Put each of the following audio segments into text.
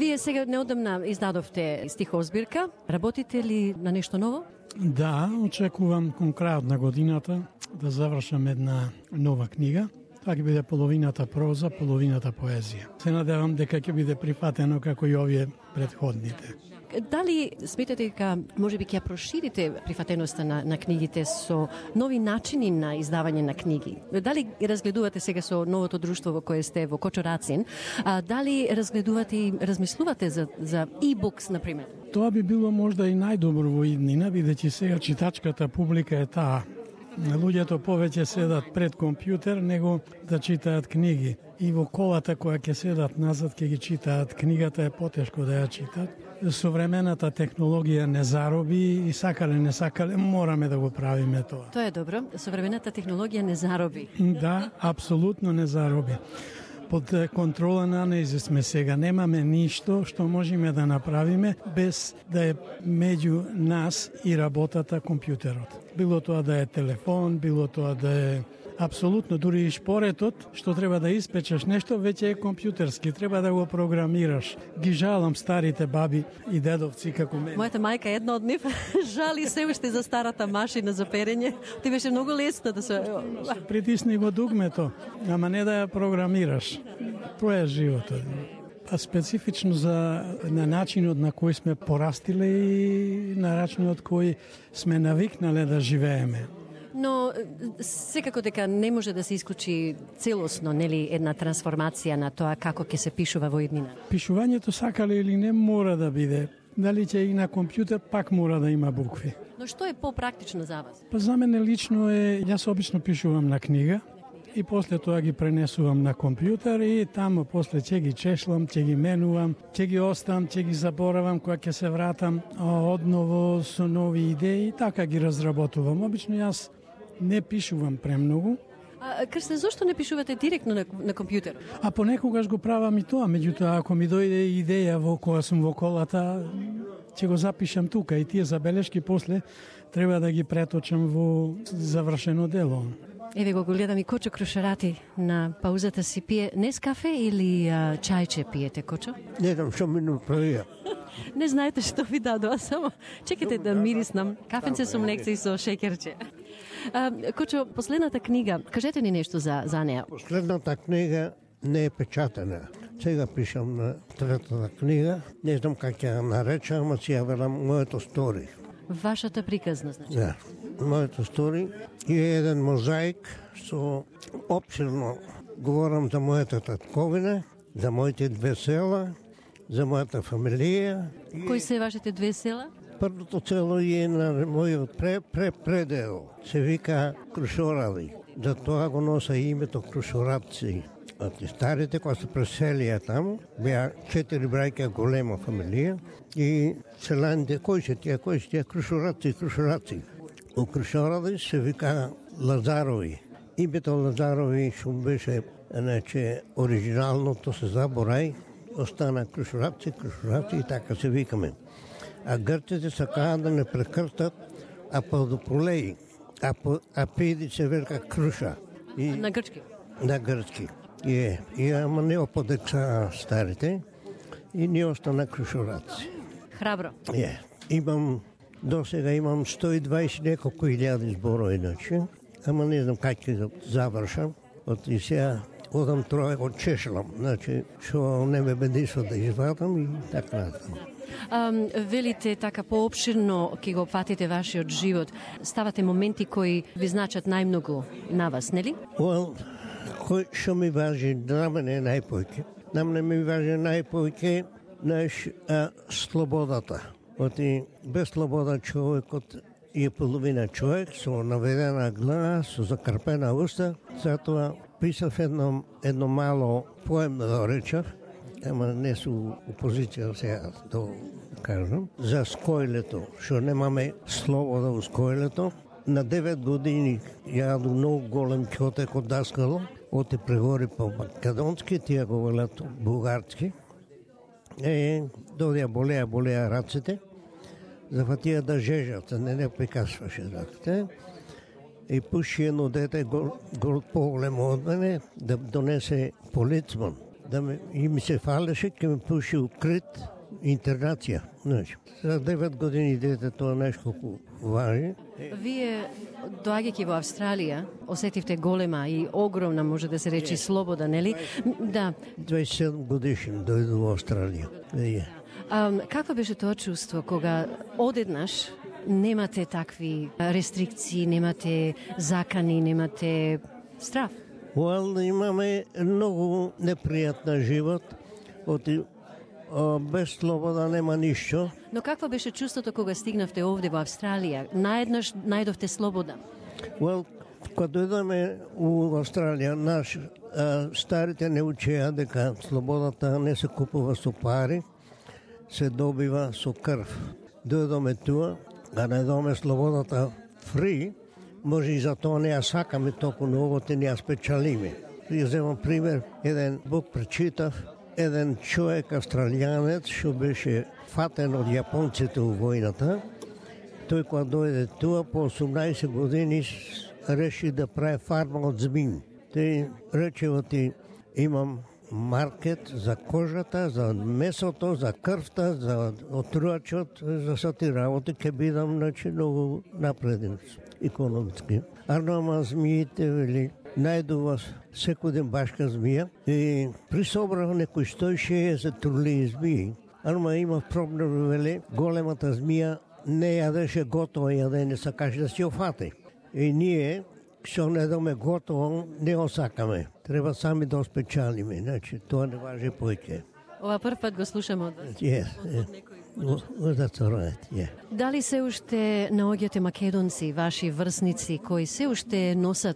Вие сега неодамна издадовте стихозбирка. Работите ли на нешто ново? Да, очекувам кон крајот на годината да завршам една нова книга. Тоа ќе биде половината проза, половината поезија. Се надевам дека ќе биде прифатено како и овие претходните. Дали сметате дека можеби ќе ја проширите прифатеноста на книгите со нови начини на издавање на книги? Дали разгледувате сега со новото друштво во кое сте во Кочорацин, дали разгледувате и размислувате за e-books, например? Тоа би било можда и најдобро во иднина, бидејќи сега читачката публика е таа. Луѓето повеќе седат пред компјутер него да читаат книги. И во колата која ќе седат назад ќе ги читаат книгата, е потешко да ја читат. Современата технологија не зароби и сакале не сакале мораме да го правиме тоа. Тоа е добро. Современата технологија не зароби. Да, апсолутно не зароби. Под контрола на анализи сме сега. Немаме ништо што можеме да направиме без да е меѓу нас и работата компјутерот. Било тоа да е телефон, било тоа да е апсолутно, дури и шпоретот, што треба да испечеш нешто, веќе е компјутерски, треба да го програмираш. Ги жалам старите баби и дедовци како мене. Мојата мајка е една од нив, жали се уште за старата машина за перење. Ти беше многу лесно да се... Притисни го дугмето, ама не да ја програмираш. Тоа е животот. А специфично на начинот на кој сме порастиле и на начинот кој сме навикнале да живееме. Но секако дека не може да се исклучи целосно, нели, една трансформација на тоа како ќе се пишува во иднина. Пишувањето сакале или не мора да биде. Дали ќе и на компјутер, пак мора да има букви. Но што е попрактично за вас? Па за мене лично е, јас обично пишувам на книга и после тоа ги пренесувам на компјутер и тамо после ќе ги чешлам, ќе ги менувам, ќе ги оставам, ќе ги заборавам, кога ќе се вратам одново со нови идеи и така ги разработувам. Обично јас не пишувам премногу. Крсте, зошто не пишувате директно на компјутер? А понекогаш го правам и тоа, меѓутоа ако ми дојде идеја во кога сум во колата, ќе го запишам тука и тие забелешки после треба да ги преточам во завршено дело. Еве го гледам и Кочо Крушарати на паузата си пие Нескафе или чајче пиете, Кочо? Не знам што ми направија. Не знаете што ви дадоа, само чекайте да мириснам. Кафенце со млекце и со шеќерче. Кочо, последната книга, кажете ни нешто за неа. Последната книга не е печатена. Сега пишам на третата книга. Не знам как ќе ја наречам, ама си ја велам моето стори. Вашата приказна, значи? Да, моето стори и еден мозаик со опширно говорам за мојата татковина, за моите две села, за мојата фамилија. Кои се вашите две села? Првото село е на мојот предел. Се вика Крушорави. За тоа го носа името Крушоравци. Старите кои се преселија таму, беа 4 браќа, голема фамилија и селаните кои се тие Крушоравци. У Крушорави се вика Лазарови. Името Лазарови што беше, значи, оригиналното се заборај, остана Крушоравци и така се викаме. А грците сакаат да не прекрстат Аподополеи, а пиди се вика Круша. На грчки? На грчки. Ама не оподекса старите и не остана Крушоравци. Храбро. До сега имам 120 неколку илјади зборови, иначе, ама не знам как ќе завршам. И сега одам троje го чешлам, значи, што не ме бедишо да извадам и така натаму. Велите така поопширно ќе го опфатите вашиот живот. Ставате моменти кои ви значат најмногу на вас, нели? Кој што ми важи на мене најповеќе? На мене ми важи најповеќе слободата. Без слобода човекот е половина човек со наведена глава, со закрпена уста. Затоа писав едно мало поем да речав, ама не су опозиција сега да кажам, за скојлето, што немаме слобода у скојлето. На 9 години јаду многу голем ќотек од даскало, оти прегори по македонски, тие го велат бугарски. Додија болеа раците, зафатија да жежат, не прикасваше раците. И пуши едно дете поголемо од мене да донесе полицман, и ми се фалеше, ке ме пуши укрит интернација. Значи, за 9 години дете тоа нешто важи. Вие, доаѓајќи во Австралија, осетивте голема и огромна, може да се речи, слобода, нели? Да. 27 годишен дојду во Австралија. Какво беше тоа чувство кога одеднаш немате такви рестрикции, немате закани, немате страф? Имаме многу непријатна живот, без слобода нема ништо. Но какво беше чувството кога стигнавте овде во Австралија? Наеднаш најдовте слобода? Кога дојдеме во Австралија, старите не учеа дека слободата не се купува со пари, се добива со крв. Дојдоме туа, да најдоме слободата фри, може и за тоа не ја сакаме толку многу, те не ја спечалиме. Ја земам пример, еден Бог пречитав, еден човек австралијанец што беше фатен од јапонците во војната. Тој кога дојде туа по 18 години реши да прави фарма од змин. Тој рече имам маркет за кожата, за месото, за крвта, за отрувачот, за сати работи ќе бидам многу напреден економски. Ама змиите вели најдува секој ден башка змија и присобрав некои 160 трулии змии. Ама има проблем, вели, големата змија не јадеше готово јадење, сакаше да си офати. И ние, што не доме готово, не го сакаме. Треба сами да спечалиме, значи тоа не важи поќе. Ова прв пат го слушам од вас. Дали се уште наоѓате македонци, ваши врсници, кои се уште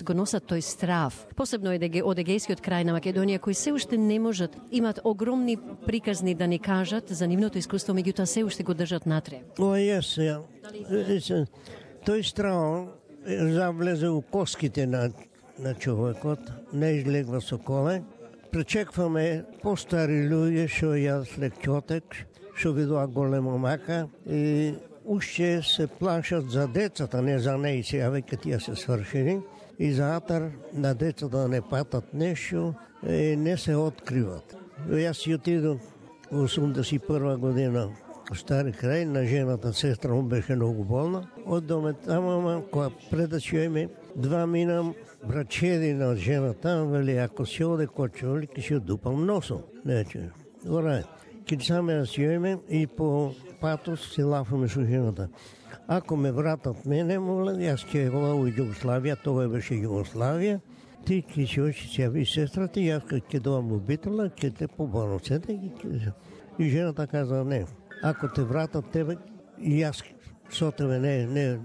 го носат тој страв, посебно од егејскиот крај на Македонија, кои се уште не можат, имат огромни приказни да ни кажат за нивното искуство, меѓутоа се уште го држат натре? Тој страв завлезе у коските на човекот, не излегва со коле. Пречекваме постари луѓе што јадат лекќотек, што видува голема мака и уште се плашат за децата, не за неи, сега веќе тие се свршени. И за атар на децата да не патат нешто, не се откриват. Јас си отидов во 81 година во Стари крај, на жената сестра му беше многу болна. Оддоме таму, кога предачуеме, 2 минам брачедина од жената, вели, ако си оде кочо, вели, ке си одупам носом. Нече, ора, ке саме да си ојме и по патос си лафаме со жената. Ако ме вратат мене, моле, јас ќе го во Југославија, тоа беше Југославија, ти ке си ојши си јави сестрата, јас ќе доам убитела, ќе те поборам сете. И жената каза, не, ако те вратат тебе, јас со тебе не.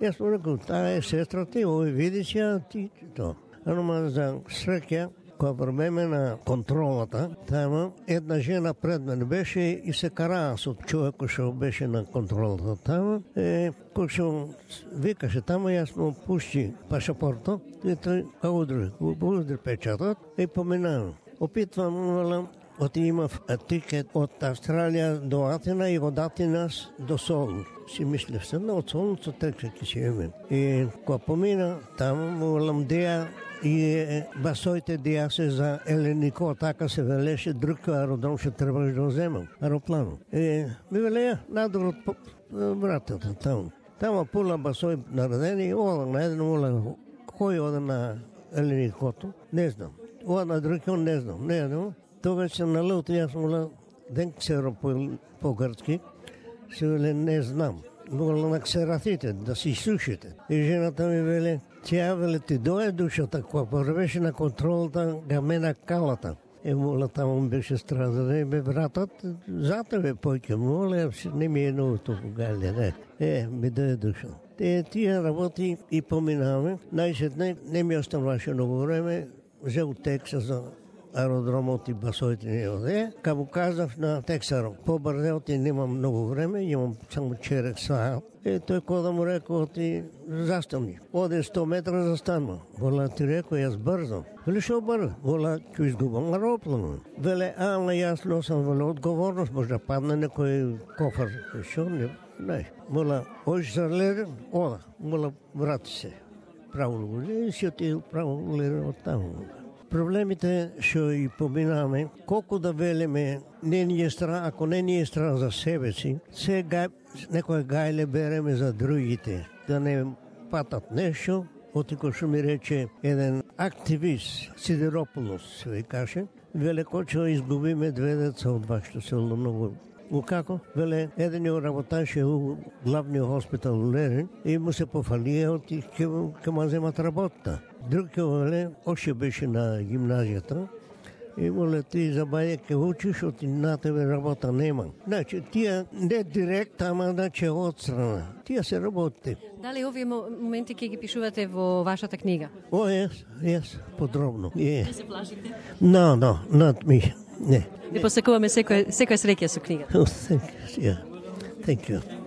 Јас му рекол, таа е сестра ти, овој видиш ја, ти тоа. Ама за среќа, кога време на контролата, тама една жена пред мене беше и се караа со човекот што беше на контролата тама. Кој што викаше тама, јас му пушти пашапортот и тој удри печатот и поминавам. Опитвам, имав тикет од Австралија до Атина и од Атина до Солун. Си мислев се, но од Солун со текше ќе си име. И кога помина таму, молам деја и басоите деја се за Еленико, така се велеше, друг аеродром ще требаше да земам, аероплану. И ми велеја, надор од вратата таму. Тама пула басои наредени, ода на еден, кој ода на Еленикото, не знам. Ода на друг, не знам, не знам. Тогаш се налути, јас мола ден ксеро по-грцки, се веле не знам. Мола на ксератите, да си слушате. И жената ми веле, тја веле ти дое душата, кога порвеше на контролата, га мена калата. Мола таму беше страдане, ме вратат за тебе појке, мола, не ми е ново толку гале, не. Ми дое душа. Тие работи и поминаваме. Најсетне, не ми оставаше многу време, взел текса за аеродромот и басоите не оде. Ка му казав на тексарот, побрзеот и немам многу време, имам само черек саат. Тој кога му рекол, ти застани. Оде 100 метра застанува. Вола ти рекол, јас брзам. Веле шо брзам? Вола, ќе изгубам аероплан. Веле, ама јас носам одговорност, може да падне некој кофар. Шо не? Мола, ојш за леден, ода. Мола, врати се. Право леден, си отидел право леден од таму. Проблемите што и поминаме, колку да велиме, не ни е страх, ако не ни е страх за себе си, некој гајле береме за другите, да не патат нешто. Отико што ми рече еден активист, Сидерополос, ви каже, веле кочо изгубиме 2 деца од вашето село, многу. Како? Веле, еден ја работаше у главниот хоспитал у Лерин и му се пофалија и ќе му земат работа. Друг веле, още беше на гимназијата и моле ти за баје ке учиш, оти на тебе работа нема. Значи, тие не директ, ама значи отстрана. Тие се работи. Дали овие моменти ќе ги пишувате во вашата книга? Yes, подробно. Не се плашите? No, not me. Не. Ви посакуваме секоја среќа со книга. Thank you.